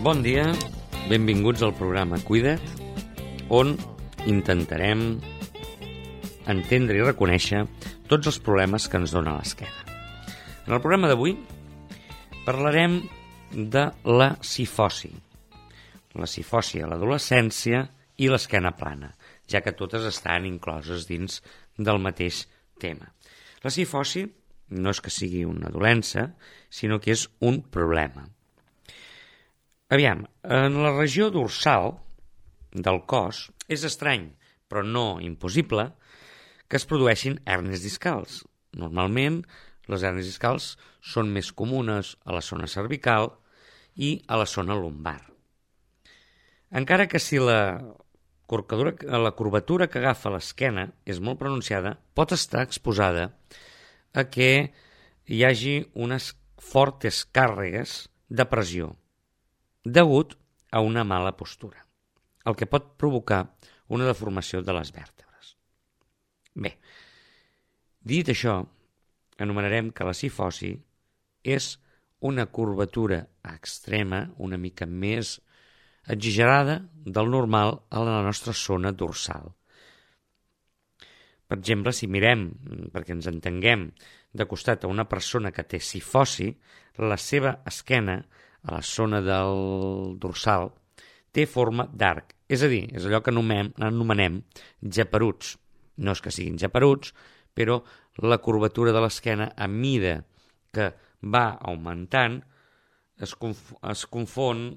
Bon dia, benvinguts al programa Cuida't, on intentarem entendre i reconèixer tots els problemes que ens dona l'esquena. En el programa d'avui parlarem de la cifosi a l'adolescència i l'esquena plana, ja que totes estan incloses dins del mateix tema. La cifosi no és que sigui una dolença, sinó que és un problema. Aviam, en la regió dorsal del cos és estrany, però no impossible, que es produeixin hèrnies discals. Normalment, les hèrnies discals són més comunes a la zona cervical i a la zona lumbar. Encara que si la curvatura que agafa l'esquena és molt pronunciada, pot estar exposada a que hi hagi unes fortes càrregues de pressió degut a una mala postura, el que pot provocar una deformació de les vèrtebres. Bé, dit això, anomenarem que la cifosi és una curvatura extrema, una mica més exagerada del normal a la nostra zona dorsal. Per exemple, si mirem, perquè ens entenguem, de costat a una persona que té cifosi, la seva esquena, a la zona del dorsal, té forma d'arc. És a dir, és allò que anomenem geperuts. No és que siguin geperuts, però la curvatura de l'esquena, a mida que va augmentant, es confon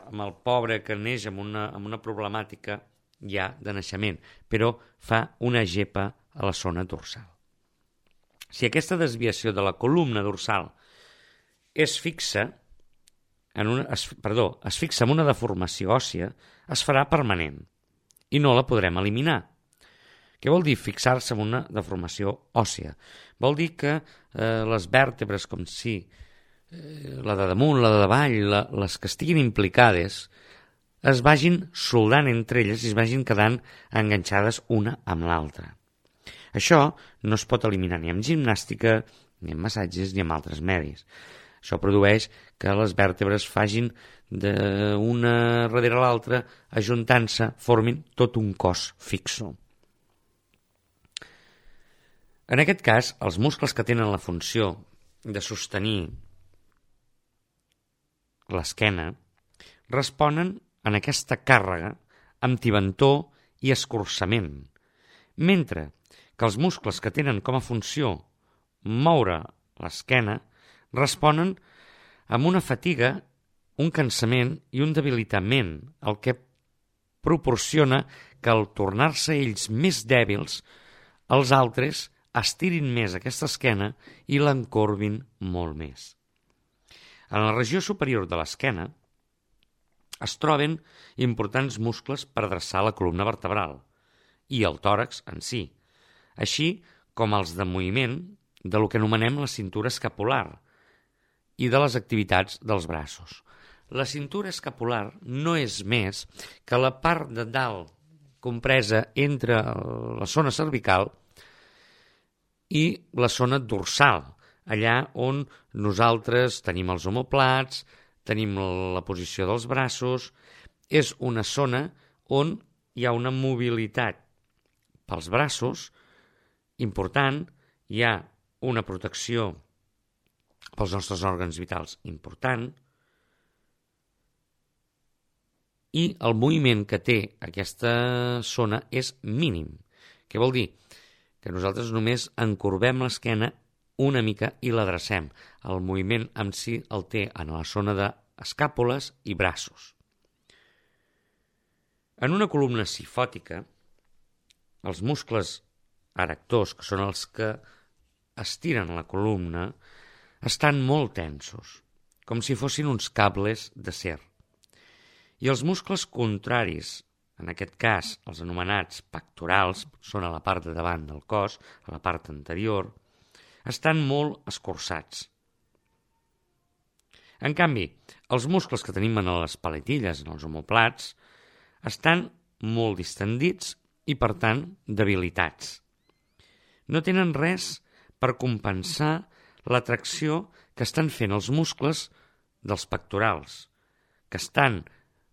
amb el pobre que neix amb una problemàtica ja de naixement, però fa una gepa a la zona dorsal. Si aquesta desviació de la columna dorsal es fixa en una deformació òssia, es farà permanent i no la podrem eliminar. Què vol dir fixar-se en una deformació òssia? Vol dir que les vèrtebres, com si la de damunt, la de davall, les que estiguin implicades, es vagin soldant entre elles i es vagin quedant enganxades una amb l'altra. Això no es pot eliminar ni amb gimnàstica, ni amb massatges, ni amb altres medis. Això produeix que les vèrtebres facin d'una darrere l'altra, ajuntant-se, formin tot un cos fixo. En aquest cas, els muscles que tenen la funció de sostenir l'esquena responen en aquesta càrrega amb tibantor i escurçament, mentre que els muscles que tenen com a funció moure l'esquena responen amb una fatiga, un cansament i un debilitament, el que proporciona que al tornar-se ells més dèbils, els altres estirin més aquesta esquena i l'encorbin molt més. En la regió superior de l'esquena es troben importants muscles per adreçar la columna vertebral i el tòrax en si, així com els de moviment de lo que anomenem la cintura escapular i de les activitats dels braços. La cintura escapular no és més que la part de dalt compresa entre la zona cervical i la zona dorsal, allà on nosaltres tenim els omoplats, tenim la posició dels braços. És una zona on hi ha una mobilitat pels braços important, hi ha una protecció pels nostres òrgans vitals important i el moviment que té aquesta zona és mínim. Què vol dir? Que nosaltres només encorbem l'esquena una mica i l'adrecem. El moviment en si el té en la zona d'escàpules i braços. En una columna cifòtica, els muscles erectors, que són els que estiren la columna, estan molt tensos, com si fossin uns cables d'acer. I els muscles contraris, en aquest cas els anomenats pectorals, són a la part de davant del cos, a la part anterior, estan molt escurçats. En canvi, els muscles que tenim en les paletilles, en els omoplats, estan molt distendits i, per tant, debilitats. No tenen res per compensar la tracció que estan fent els muscles dels pectorals, que estan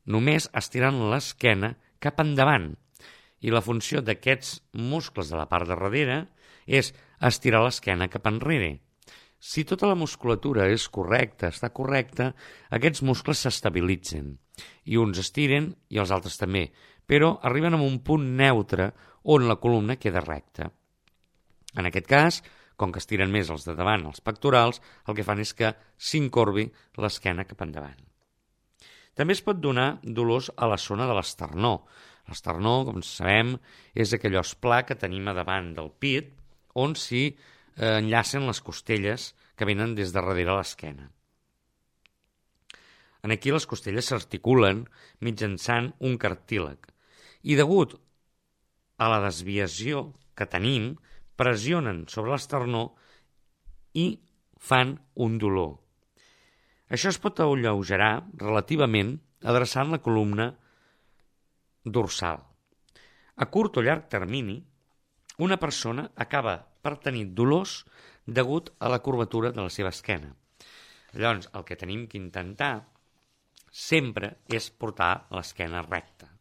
només estirant l'esquena cap endavant. I la funció d'aquests muscles de la part de darrere és estirar l'esquena cap enrere. Si tota la musculatura és correcta, està correcta, aquests muscles s'estabilitzen. I uns estiren i els altres també, però arriben a un punt neutre on la columna queda recta. En aquest cas, com que estiren més els de davant, els pectorals, el que fan és que s'incorbi l'esquena cap endavant. També es pot donar dolors a la zona de l'esternó. L'esternó, com sabem, és aquell os pla que tenim a davant del pit, on s'hi enllacen les costelles que venen des de darrere l'esquena. Aquí les costelles s'articulen mitjançant un cartílag i degut a la desviació que tenim, pressionen sobre l'esternó i fan un dolor. Això es pot alleugerar relativament adreçant la columna dorsal. A curt o llarg termini, una persona acaba per tenir dolors degut a la curvatura de la seva esquena. Llavors, el que tenim que intentar sempre és portar l'esquena recta.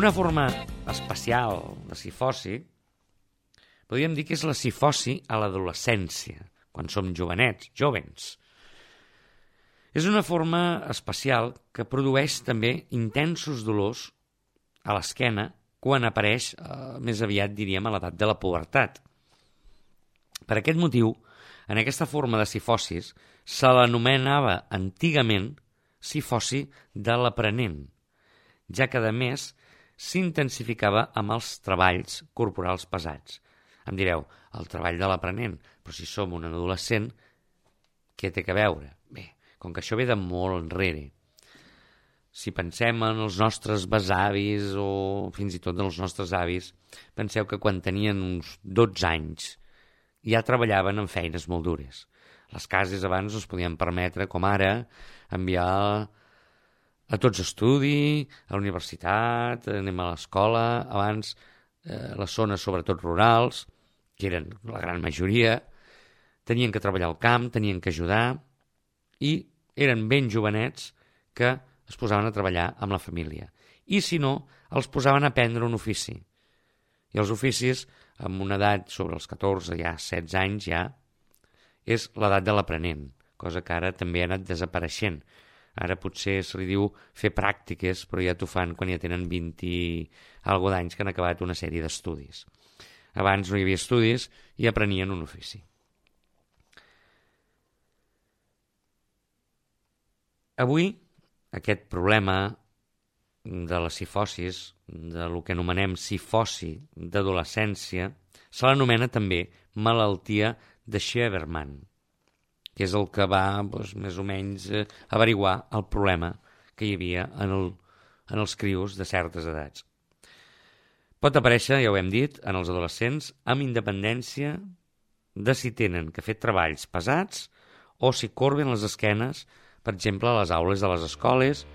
Una forma especial de cifosi podríem dir que és la cifosi a l'adolescència, quan som jovenets, jovens. És una forma especial que produeix també intensos dolors a l'esquena quan apareix, més aviat diríem, a l'edat de la pubertat. Per aquest motiu, en aquesta forma de cifosis se l'anomenava antigament cifosi de l'aprenent, ja que a més s'intensificava amb els treballs corporals pesats. Em direu, el treball de l'aprenent, però si som un adolescent, què té que veure? Bé, com que això ve de molt enrere. Si pensem en els nostres besavis o fins i tot en els nostres avis, penseu que quan tenien uns 12 anys ja treballaven en feines molt dures. Les cases abans no es podien permetre, com ara, enviar a tots a estudi, a la universitat, anem a l'escola. Abans, les zones, sobretot rurals, que eren la gran majoria, tenien que treballar al camp, tenien que ajudar, i eren ben jovenets que es posaven a treballar amb la família. I si no, els posaven a aprendre un ofici. I els oficis, amb una edat sobre els 14, ja 16 anys, ja és l'edat de l'aprenent, cosa que ara també ha anat desapareixent. Ara potser se li diu fer pràctiques, però ja t'ho fan quan ja tenen 20 i alguna d'anys que han acabat una sèrie d'estudis. Abans no hi havia estudis i aprenien un ofici. Avui, aquest problema de la cifosis, de lo que anomenem cifosi d'adolescència, se l'anomena també malaltia de Sheberman, que és el que va, més o menys, averiguar el problema que hi havia en els crios de certes edats. Pot aparèixer, ja ho hem dit, en els adolescents, amb independència de si tenen que fer treballs pesats o si corben les esquenes, per exemple, a les aules de les escoles,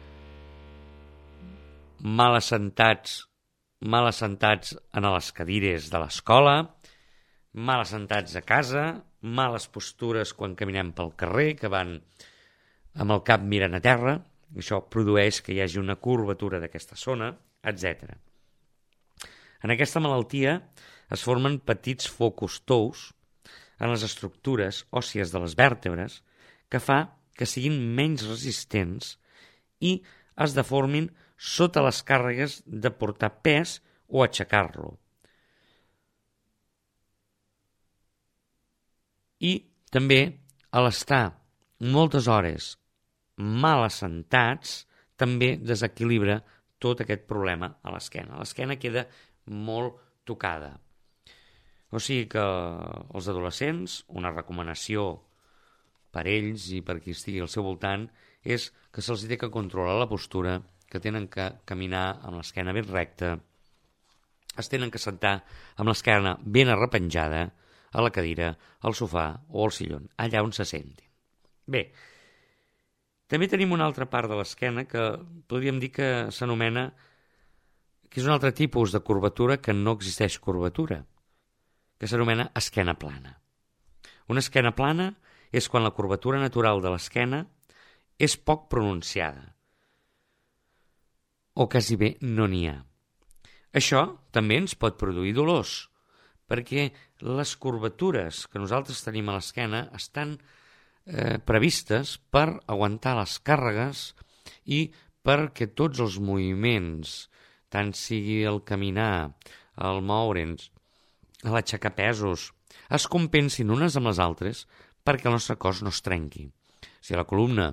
mal assentats en les cadires de l'escola, mal assentats a casa, males postures quan caminem pel carrer, que van amb el cap mirant a terra, això produeix que hi hagi una curvatura d'aquesta zona, etc. En aquesta malaltia es formen petits focus tous en les estructures òssies de les vèrtebres que fa que siguin menys resistents i es deformin sota les càrregues de portar pes o aixecar-lo. I també, a l'estar moltes hores mal assentats, també desequilibra tot aquest problema a l'esquena. L'esquena queda molt tocada. O sigui que els adolescents, una recomanació per ells i per qui estigui al seu voltant, és que se'ls té que controlar la postura que tenen que caminar amb l'esquena ben recta, es tenen que sentar amb l'esquena ben arrepenjada a la cadira, al sofà o al sillon, allà on se sentin. Bé, també tenim una altra part de l'esquena que podríem dir que s'anomena, que és un altre tipus de curvatura que no existeix curvatura, que s'anomena esquena plana. Una esquena plana és quan la curvatura natural de l'esquena és poc pronunciada, o quasi bé no n'hi ha. Això també ens pot produir dolors, perquè les curvatures que nosaltres tenim a l'esquena estan previstes per aguantar les càrregues i perquè tots els moviments, tant sigui el caminar, el moure'ns, l'aixecar pesos, es compensin unes amb les altres perquè el nostre cos no es trenqui. Si la columna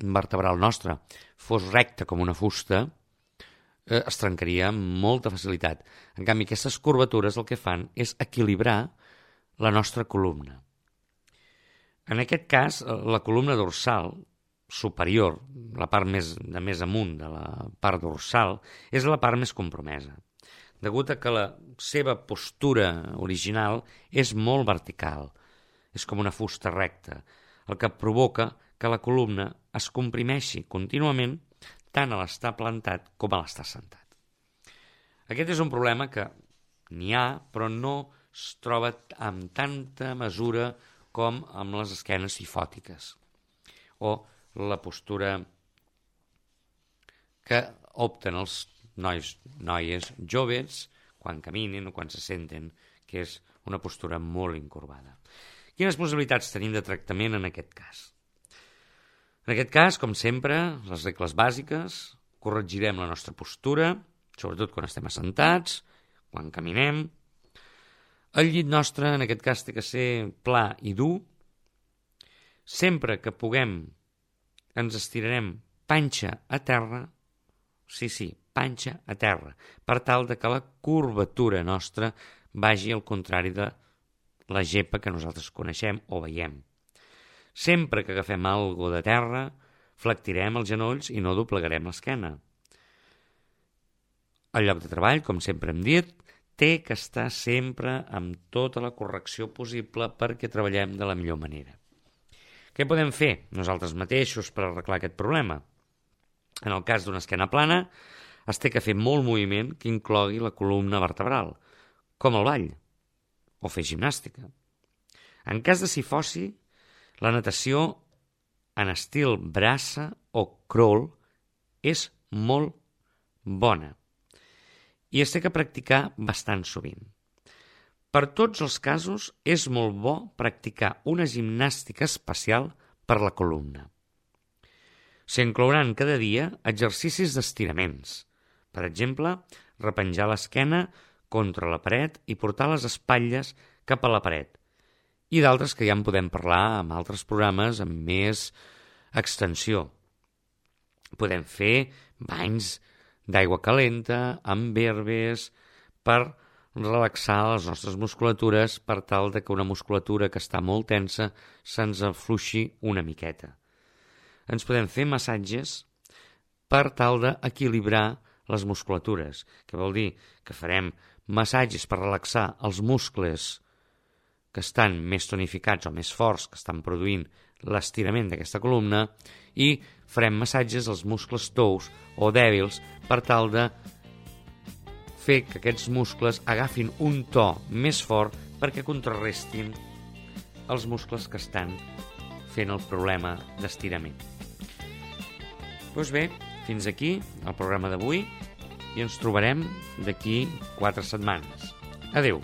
vertebral nostra fos recta com una fusta, es trencaria amb molta facilitat. En canvi, aquestes curvatures el que fan és equilibrar la nostra columna. En aquest cas, la columna dorsal superior, la part més amunt de la part dorsal, és la part més compromesa, degut a que la seva postura original és molt vertical, és com una fusta recta, el que provoca que la columna es comprimeixi contínuament tant a l'estar plantat com a l'estar sentat. Aquest és un problema que n'hi ha, però no es troba amb tanta mesura com amb les esquenes sifòtiques o la postura que opten els noies joves quan caminen o quan se senten, que és una postura molt incurvada. Quines possibilitats tenim de tractament en aquest cas? En aquest cas, com sempre, les regles bàsiques, corregirem la nostra postura, sobretot quan estem assentats, quan caminem. El llit nostre, en aquest cas, té que ser pla i dur. Sempre que puguem, ens estirarem panxa a terra, sí, panxa a terra, per tal de que la curvatura nostra vagi al contrari de la gepa que nosaltres coneixem o veiem. Sempre que agafem alguna de terra, flectirem els genolls i no doblegarem l'esquena. El lloc de treball, com sempre hem dit, té que estar sempre amb tota la correcció possible perquè treballem de la millor manera. Què podem fer nosaltres mateixos per arreglar aquest problema? En el cas d'una esquena plana, es té que fer molt moviment que inclogui la columna vertebral, com el ball o fer gimnàstica. En cas de cifosi, la natació en estil braça o crawl és molt bona i es té que practicar bastant sovint. Per tots els casos és molt bo practicar una gimnàstica especial per la columna. S'inclouran cada dia exercicis d'estiraments. Per exemple, repenjar l'esquena contra la paret i portar les espatlles cap a la paret. I d'altres que ja en podem parlar en altres programes amb més extensió. Podem fer banys d'aigua calenta, amb herbes, per relaxar les nostres musculatures per tal de que una musculatura que està molt tensa se'ns afluixi una miqueta. Ens podem fer massatges per tal d'equilibrar les musculatures, que vol dir que farem massatges per relaxar els muscles que estan més tonificats o més forts, que estan produint l'estirament d'aquesta columna, i farem massatges als muscles tous o dèbils per tal de fer que aquests muscles agafin un to més fort perquè contrarrestin els muscles que estan fent el problema d'estirament. Doncs bé, fins aquí el programa d'avui i ens trobarem d'aquí 4 setmanes. Adéu!